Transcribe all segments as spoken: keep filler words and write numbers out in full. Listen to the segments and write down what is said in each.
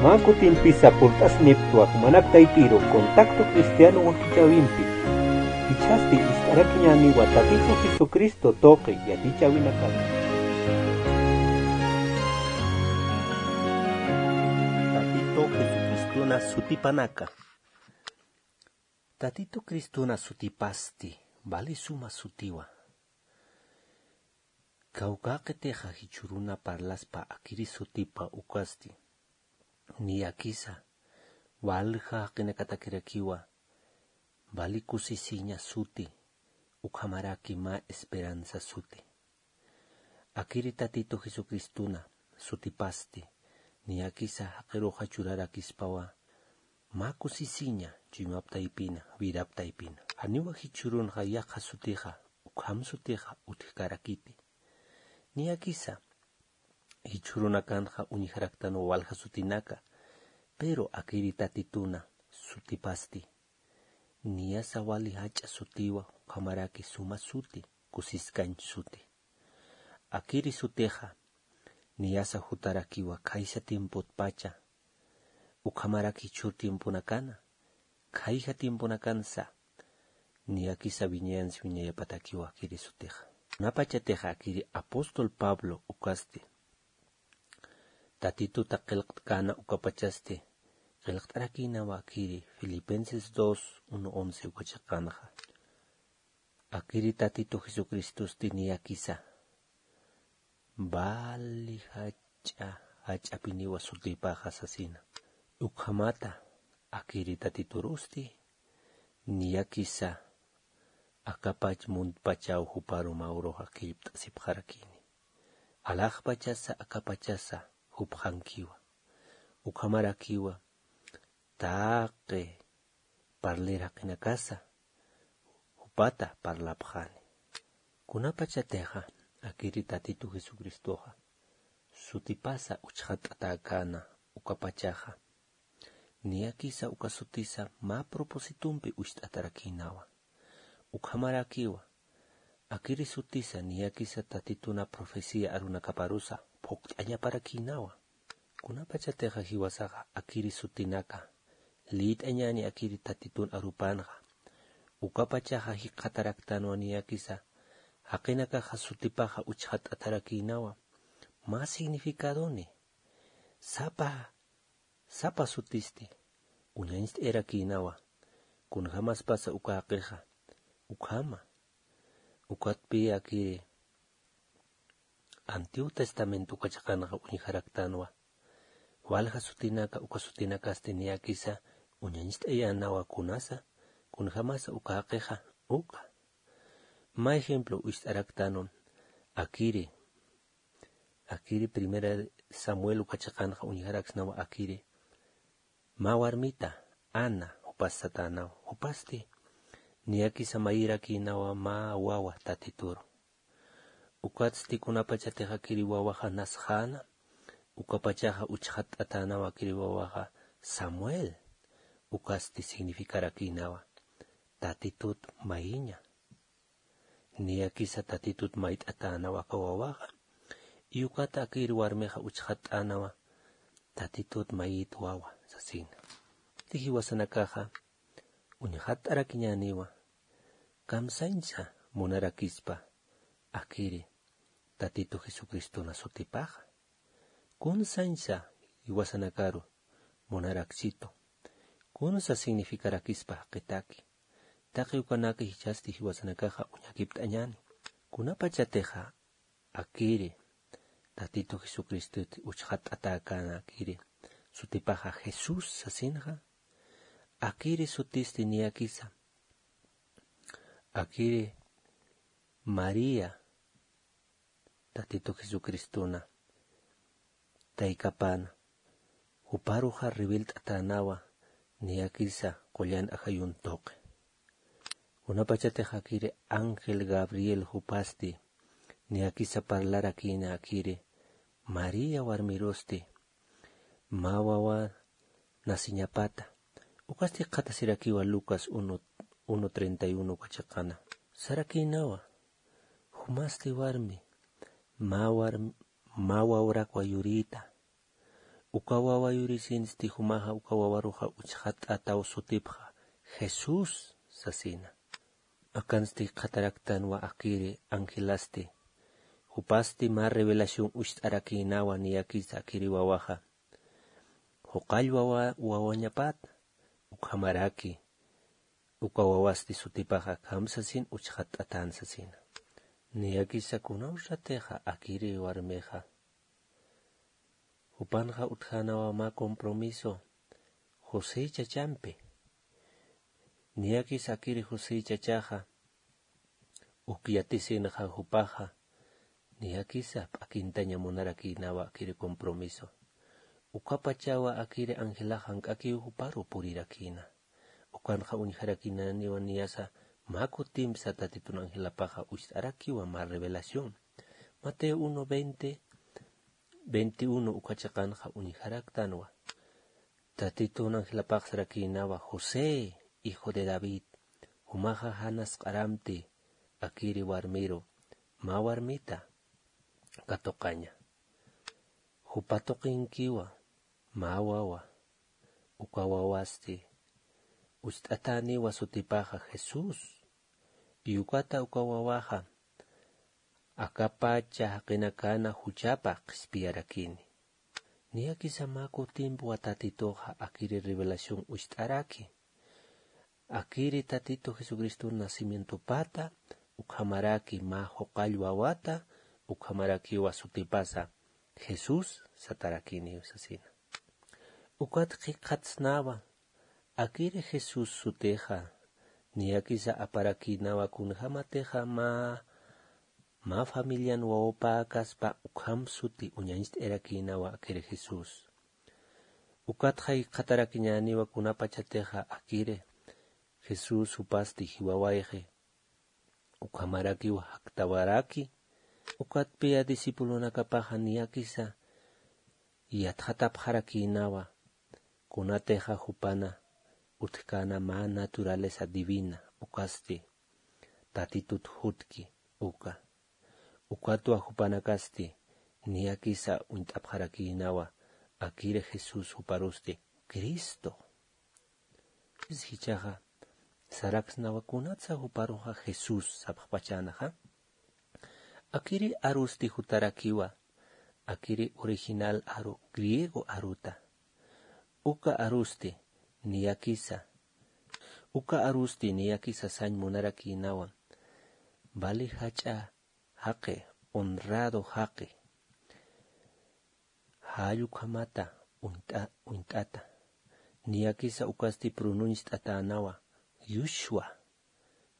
Mä kutimpisa purt'asniptwa jumanak taypiru Contacto Cristiano wakichäwimpi. Jichhasti ist'arakiñäniwa Tatitu Jesucristo tuqi yatichäwinakata. Tatitu Jesucristona sutipanaka. Tatitu Cristona sutipasti, vali suma sutiwa. Kawkäqitixa jichhüruna parlaspa akiri sutipa ukasti. Niyakisa, walja jaqinakatakirakiwa, vali kusisiña suti, ukhamaraki mä esperanza suti. Akiri Tatitu Jesucristona sutipasti, niyakisa jaqiruxa churarakispawa, mä kusisiña chuymap taypina, vidap taypina. Janiwa jichhürunxa yaqha sutixa, ukham sutixa utjkarakiti. Niyakisa, jichhürunakanxa uñjaraktanwa walja sutinaka, pero akiri Tatitona sutipasti. Niyasa wali jach'a sutiwa, ukhamaraki suma suti, kusiskañ suti. Akiri sutixa, niyasa jutarakiwa khaysa tiempotpacha, ukhamaraki jichhür tiemponakana, khayja tiemponakansa, niyakisa wiñayansi wiñayapatakiwa akiri sutixa. Kunapachatixa akiri apóstol Pablo ukasti, Tatituta qillqt'käna ukapachasti, qillqt'arakïnawa akiri Filipenses dos, uno once uka chiqanxa. Akiri Tatitu Jesucristosti niyakisa, vali jach'a, jach'apiniwa sutipaxa sasina. Ukhamata, akiri Tatiturusti, niyakisa, akapach muntpachaw juparu mä uruxa qillpt'asipxarakini. Alaxpachasa, akapachasa, jupxankiwa. Ukhamarakiwa, taqi parlir jaqinakasa, jupata parlapxani. Kunapachatixa, akiri Tatitu Jesucristoxa, sutipasa uchxatt'atäkäna ukapachaxa, niyakisa uka sutisa mä propósitompi ucht'atarakïnawa. Ukhamarakiwa, akiri sutisa niyakisa Tatituna profecía arunakaparusa phuqt'añaparakïnawa. Kunapachatixa jiwasaxa akiri sutinaka, liyt'añäni akiri Tatitun arupanxa, ukapachaxa jikxataraktanwa niyakisa, jaqinakaxa sutipaxa uchxatt'atarakïnawa, mä significadoni, sapa, sapa sutisti, uñañcht'ayarakïnawa, kunjämaspasa uka jaqixa, ukhama, ukatpï akiri, Antiguo Testamento uka chiqanxa uñjaraktanwa. Walja sutinaka, uka sutinakasti niyakisa uñañcht'ayänawa kunasa, kunjämasa uka jaqixa, uka. Mä ejemplo ucht'araktanwa, akiri, akiri Primera Samuel uka chiqanxa uñjaraksnawa akiri. Mä warmita, Ana, jupas satänawa, jupasti, niyakisa mayirakïnawa mä wawa Tatituru. Ukatsti kunapachatix akiri wawaxa nasxäna, ukapachaxa uchxatt'atänawa akiri wawaxa Samuel, ukatsti significarakïnawa, Tatitut mayiña. Niyakisa Tatitut mayt'atänawa aka wawaxa, y ukat akiri warmixa uchxatt'änawa, Tatitut mayit wawa, sasina. Jiwasanakaxa, uñxatt'arakiñäniwa, kamsañsa munarakispa, akiri, Tatitu Jesucristona sutipaxa. Kunsañsa jiwasanakaru munaraksitu. Kunsa significarakispa jaqitaki. Taqi ukanaka jichhasti jiwasanakaxa uñakipt'añäni. Kunapachatixa akiri, Tatitu Jesucristut uchxatt'atäkäna akiri, sutipaxa Jesús sasinxa, akiri sutisti niyakisa, akiri María, Tatitu Jesucristona taykapäna, juparuxa riwilt'atänawa, niyakisa qullan ajayun tuqi. Kunapachatix akiri ángel Gabriel jupasti, niyakisa parlarakïna akiri, María warmirusti, mä wawa nasiñapata. Ukasti jikxatasirakiwa Lucas uno, uno treinta y uno uka chiqana. Sarakïnawa, jumasti warmi, mä warm-, mä wawrakwa yurïta. Uka wawa yurisinsti jumaxa uka wawaruxa uchxat'ataw sutipxa Jesús sasina. Akansti jikxataraktanwa akiri angelasti. Jupasti mä revelación ucht'arakïnawa niyakisa akiri wawaxa. Juqall wawa wawañapat ukhamaraki uka wawasti sutipaxa akham sasin uchxat'atän sasina. Niyakisa kunawsatixa akiri warmixa jupanxa utjänawa mä compromiso José chachampi. Niyakisa akiri José chachaxa uk yatisinxa jupaxa niyakisa p'akintaña munarakïnawa akiri compromiso. Ukapachawa akiri angelax jank'akiw juparu purirakïna. Ukanxa uñjarakïnaniwa niyasa mä kutimpsa Tatitun angelapaxa ucht'arakiwa mä revelación. Mateo uno veinte, veintiuno uka chiqanxa uñjaraktanwa. Tatitun angelapax sarakïnawa José, hijo de David, jumaxa janas q'aramti akiri warmiru mä warmita katuqaña. Jupa tuqinkiwa mä wawa, uka wawasti ucht'atäniwa sutipaxa Jesús. Y ukata uka wawaxa akapacha jaqinakana juchapa qhispiyarakini. Niyakisa mä kutimpwa Tatituxa akiri revelación ucht'araki. Akiri Tatitu Jesucristo nacimientopata ukhamaraki mä juqall wawata ukhamarakiwa sutipasa Jesús satarakiniw sasina. Ukat jikxatsnawa akiri Jesús sutixa niyakisa aparakïnawa kunjämatixa mä mä familian wawapäkaspa ukham suti uñañcht'irakïnawa akiri Jesús. Ukatxa jikxatarakiñäniwa kunapachatixa akiri Jesús jupasti jiwawayxi ukhamarakiw jaktawaraki. Ukatpiya discipulonakapaxa niyakisa yatxatapxarakïnawa kunatixa jupana utjkäna mä naturaleza divina ukasti Tatitut jutki uka. Ukatwa jupanakasti niyakisa uñt'apxarakïnawa akiri Jesús juparusti Cristo. Jichhaxa saraksnawa kunatsa juparuxa Jesús sapxpachänaxa. Akiri arusti jutarakiwa akiri original aru griego aruta. Uka arusti niyakisa uka arusti niyakisa sañ munarakïnawa vali jach'a jaqi, honrado jaqi. Jall ukhamata uñt'ata. Niyakisa ukasti pronunciatänawa Yushwa.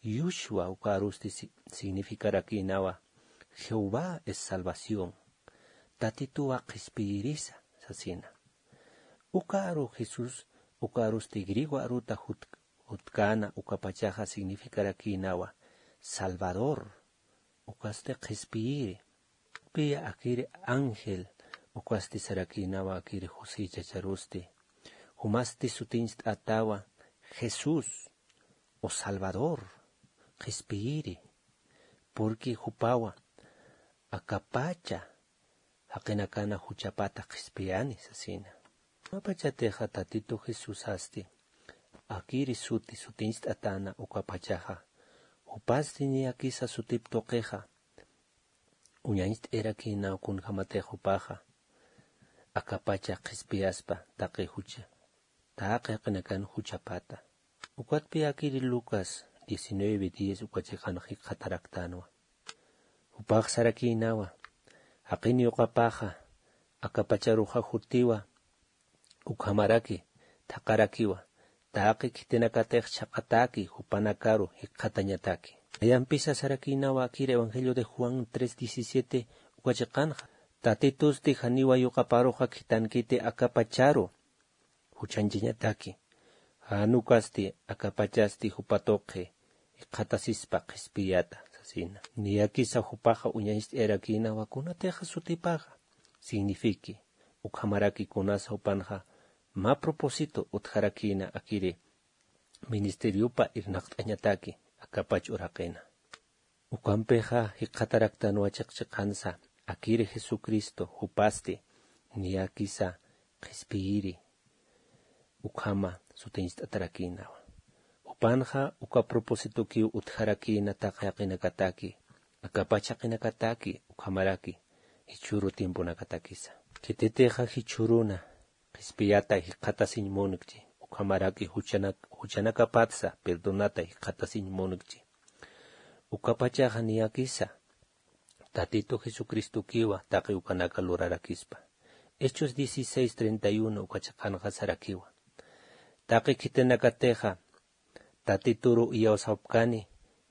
Yushwa uka arusti significarakïnawa Jehová es salvación. Tatituwa qhispiyirisa sasina. Uka aru Jesús uka arusti griego aruta jutkäna ukapachaxa significarakïnawa Salvador. Ukasti qhispiyiri. Piya akiri ángel ukasti sarakïnawa akiri José chacharusti. Jumasti sutiñcht'atawa Jesús o Salvador, qhispiyiri. Porque jupawa akapacha jaqinakana juchapata qhispiyani sasina. Jupapachatixa Tatitu Jesusasti akiri suti sutiñcht'atäna ukapachaxa jupasti niyakisa sutip tuqixa uñañcht'irakïnaw kunjämatix jupaxa akapacha qhispiyaspa taqi jucha taqi jaqinakan juchapata. Ukatpi akiri Lucas diecinueve diez uka chiqanxa jikxataraktänwa. Jupax sarakïnawa jaqin yuqapaxa akapacharuxa jutiwa ukhamaraki thaqarakiwa taqi khitinakatix chhaqataki jupanakaru jikxatañataki. Nayampisa sarakïnawa akir evangelio de Juan tres diecisiete uka chiqanxa. Tatitusti janiwa yuqaparuxa khitankiti akapacharu juchanchañataki. Jan ukasti akapachasti jupa tuqi jikxatasispa qhispiyata sasina. Niyakisa jupaxa uñañcht'irakïnawa kunatixa sutipaxa signifique ukhamaraki kunasa jupanxa mä propósito utjarakïna akiri ministeriopa irnaqt'añataki akapach uraqina. Ukampixa jikxataraktanwa chiqchiqansa akiri Jesucristo jupasti niyakisa qhispiyiri ukhama sutiñcht'atarakïnawa. Jupanxa uka propósitokiw utjarakïna taqi jaqinakataki, akapacha jaqinakataki, ukhamaraki jichhüru tiemponakatakisa. Khititixa jichhüruna qhispiyata jikxatasiñ munkchi, ukhamaraki juchanak juchanakapatsa perdonata jikxatasiñ munkchi. Ukapachaxa niyakisa Tatitu Jesucristokiwa taqi ukanaka lurarakispa. Hechos dieciséis treinta y uno uka chiqanxa sarakiwa: Taqi khitinakatixa Tatituru iyawsapkani,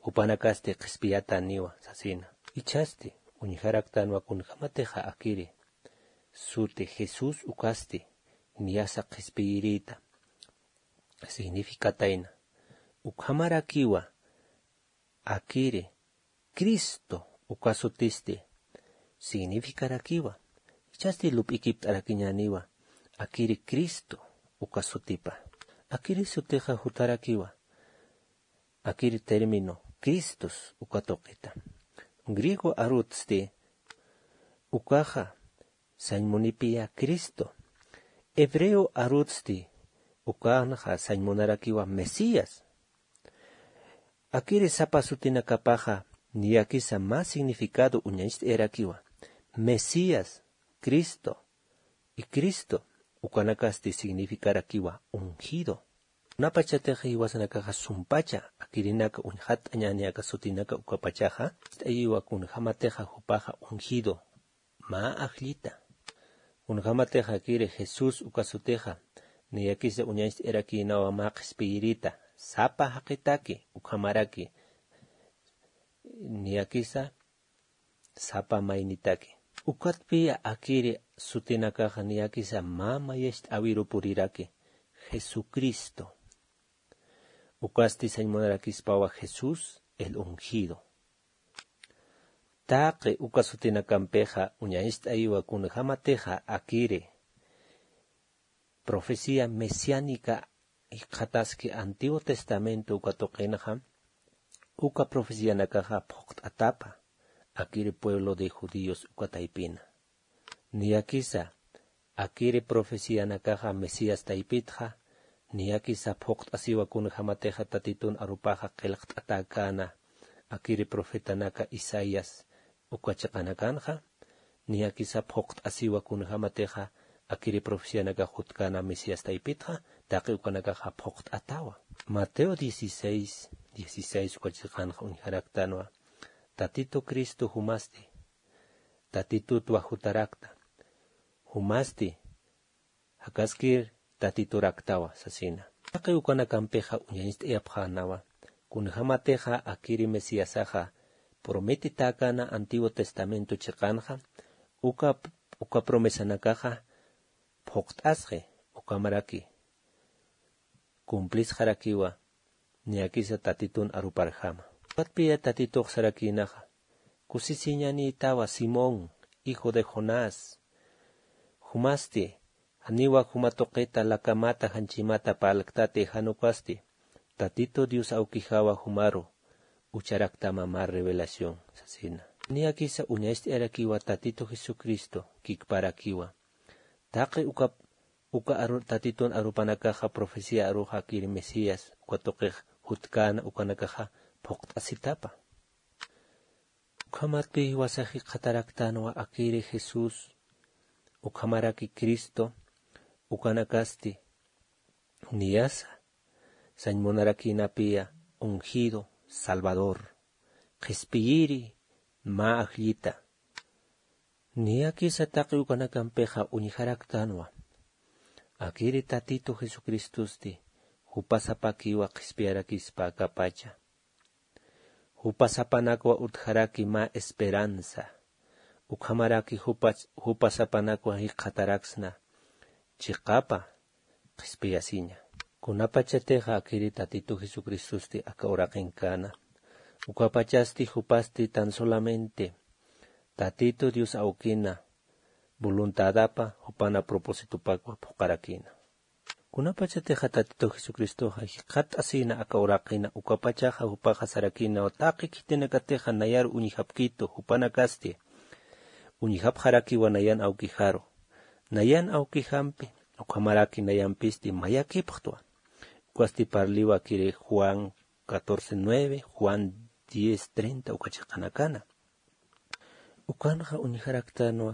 jupanakasti qhispiyatäniwa sasina. Jichhasti uñjaraktanwa kunjämatixa akiri suti Jesús ukasti niyasa qhispiyirïta significatayna, ukhamarakiwa akiri Cristo uka sutisti significarakiwa. Jichhasti lup'ikipt'arakiñäniwa akiri Cristo uka sutipa. Akiri sutixa jutarakiwa akiri término Cristos uka tuqita. Griego arutsti ukaxa sañ munipiya Cristo. Hebreo arutsti ukanxa sañ munarakiwa Mesías. Akiri sapa sutinakapaxa niyakisa mä significado uñacht'ayarakiwa. Mesías, Cristo, y Cristo ukanakasti significarakiwa ungido. Kunapachatixa jiwasanakaxa sumpacha akirinaka uñjatt'añäni aka sutinaka ukapachaxa, ist'ayiwa kunjämatixa jupaxa ungido, mä ajllita. Kunjämatixa akiri Jesús uka sutixa niyakisa uñacht'ayarakïnawa mä qhispiyirïta sapa jaqitaki, ukhamaraki niyakisa sapa maynitaki. Ukatpiya akiri sutinakaxa niyakisa mä mayacht'äwiru puriraki, Jesucristo. Ukasti sañ munarakispawa Jesús el ungido. Taqi uka sutinakampixa uñacht'ayiwa kunjämatixa akiri profecía mesiánica jikxataski Antiguo Testamento uka tuqinxa, uka profecianakaxa phuqt'atapa akiri pueblo de judíos uka taypina. Niyakisa akiri profecianakaxa Mesías taypitxa, niyakisa phuqt'asiwa kunjämatixa Tatitun arupaxa qillqt'atäkäna akiri profetanaka Isaías uka chiqanakanxa, niyakisa phuqt'asiwa kunjämatixa akiri profecianakax jutkäna Mesías taypitxa, taqi ukanakaxa phuqt'atawa. Mateo dieciséis dieciséis uka chiqanxa uñjaraktanwa, Tatitu Cristo jumasti Tatitutwa jutarakta, jumasti jakaskir Tatituraktawa sasina. Taqi ukanakampixa uñacht'ayapxänawa kunjämatixa akiri Mesiasaxa prometitäkäna Antiguo Testamento chiqanxa, uka, uka promesanakaxa phuqt'asxi, ukhamaraki cumplisxarakiwa niyakisa Tatitun aruparjama. Ukatpiya Tatitux sarakïnaxa: Kusisiñanïtawa Simón, hijo de Jonás. Jumasti janiwa juma tuqita lakamata janchimata parlktati, jan ukasti Tatitu Dios awkijawa jumaru ucharaktama mä revelación sasina. Niyakisa uñacht'ayarakiwa Tatitu Jesucristo kikparakiwa. Taqi uka, uka aru, Tatitun arupanakaxa profecía aruxa akiri Mesías uka tuqix jutkäna ukanakaxa phuqt'asitapa. Ukhamatpi jiwasax jikxataraktanwa akiri Jesús, ukhamaraki Cristo, ukanakasti niyasa sañ munarakïnapiya ungido, Salvador, qhispiyiri, mä ajllita. Niyakisa taqi ukanakampixa uñjaraktanwa akiri Tatitu Jesucristosti jupasapakiwa qhispiyarakispa akapacha. Jupasapanakwa utjaraki mä esperanza. Ukhamaraki jupa, jupasapanakwa jikxataraksna chiqapa qhispiyasiña. Kunapachatixa akiri Tatitu Jesucristosti aka uraqinkäna, ukapachasti jupasti tan solamente Tatitu Dios awkina voluntadapa jupana propósitopakwa phuqarakïna. Kunapachatixa Tatitu Jesucristoxa jikxat'asïna aka uraqina, ukapachaxa jupaxa sarakïnawa taqi khitinakatixa nayar uñjapkitu, jupanakasti uñjapxarakiwa nayan awkijaru. Nayan awkijampi Ukhamaraki nayampisti mayakipxtwa. Ukasti parliwa akiri Juan catorce nueve, Juan diez treinta uka chiqanakana. Ukanxa uñjaraktanwa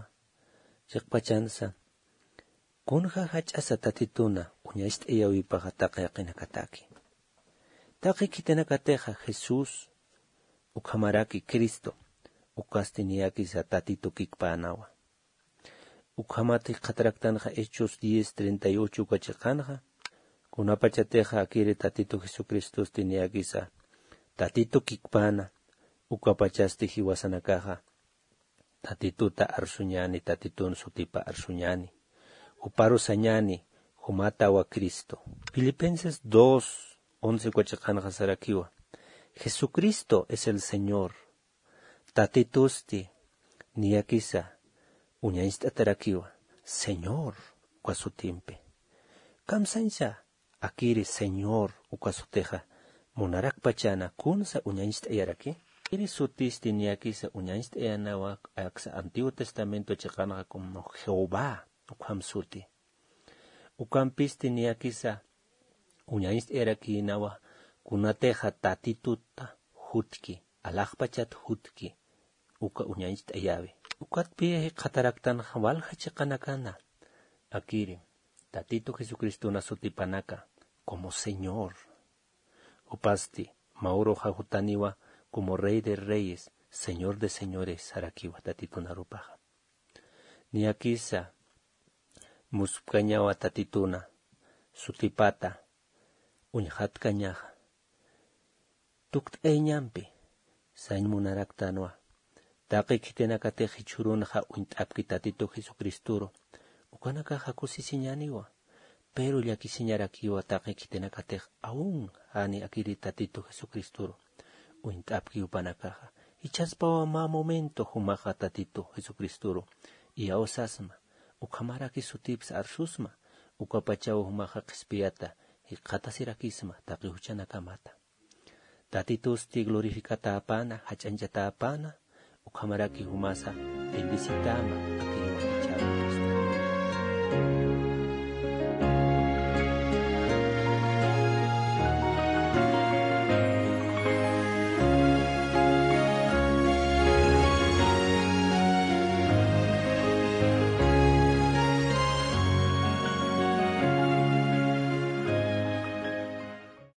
chiqpachansa, kunja jach'asa Tatituna uñacht'ayawipaxa taqi jaqinakataki. Taqi khitinakatixa Jesús, ukhamaraki Cristo, ukasti niyakisa Tatitu kikpänawa. Ukhamat jikxataraktanxa Hechos diez treinta y ocho uka chiqanxa, kunapachatixa akiri Tatitu Jesucristosti niyakisa Tatitu kikpäna, ukapachasti jiwasanakaxa Tatituta arsuñäni, Tatitun sutipa arsuñäni, juparu sañäni, jumatawa Cristo. Filipenses dos once uka chiqanxa sarakiwa: Jesucristo es el Señor. Tatitusti niyakisa uñañcht'atarakiwa, Señor uka sutimpi. Kamsañsa akiri Señor uka sutixa munarakpachana kunsa uñañcht'ayaraki? Akiri sutisti niyakisa uñañcht'ayanawa aksa Antiguo Testamento chiqanxa como Jehová ukham suti. Ukampisti niyakisa uñañcht'ayarakïnawa kunatixa Tatituta jutki, alaxpachat jutki, uka uñañcht'ayäwi. Ukatpï jikxataraktanxa walja chiqanakana akiri Tatitu Jesucristona sutipanaka como Señor. Jupasti mä uruxa jutaniwa como Rey de Reyes, Señor de Señores sarakiwa Tatitun arupaxa. Niyakisa muspkañawa Tatituna sutipata uñxatkañaxa. Tukt'ayañampi sañ munaraktanwa. Taqi khitinakatix jichhürunxa uñt'apki Tatitu Jesucristoru, ukanakaxa kusisiñäniwa. Pero llakisiñarakiwa taqi khitinakatix aun jani akiri Tatitu Jesucristoru uñt'apki jupanakaxa. Jichhaspawa mä momento jumaxa Tatitu Jesucristoru iyawsasma, ukhamaraki sutipsa arsusma, ukapachaw jumaxa qhispiyata jikxatasirakisma taqi juchanakamata. Tatitusti glorificatäpäna, jach'añchatäpäna, ukhamaraki jumasa bendecitäma,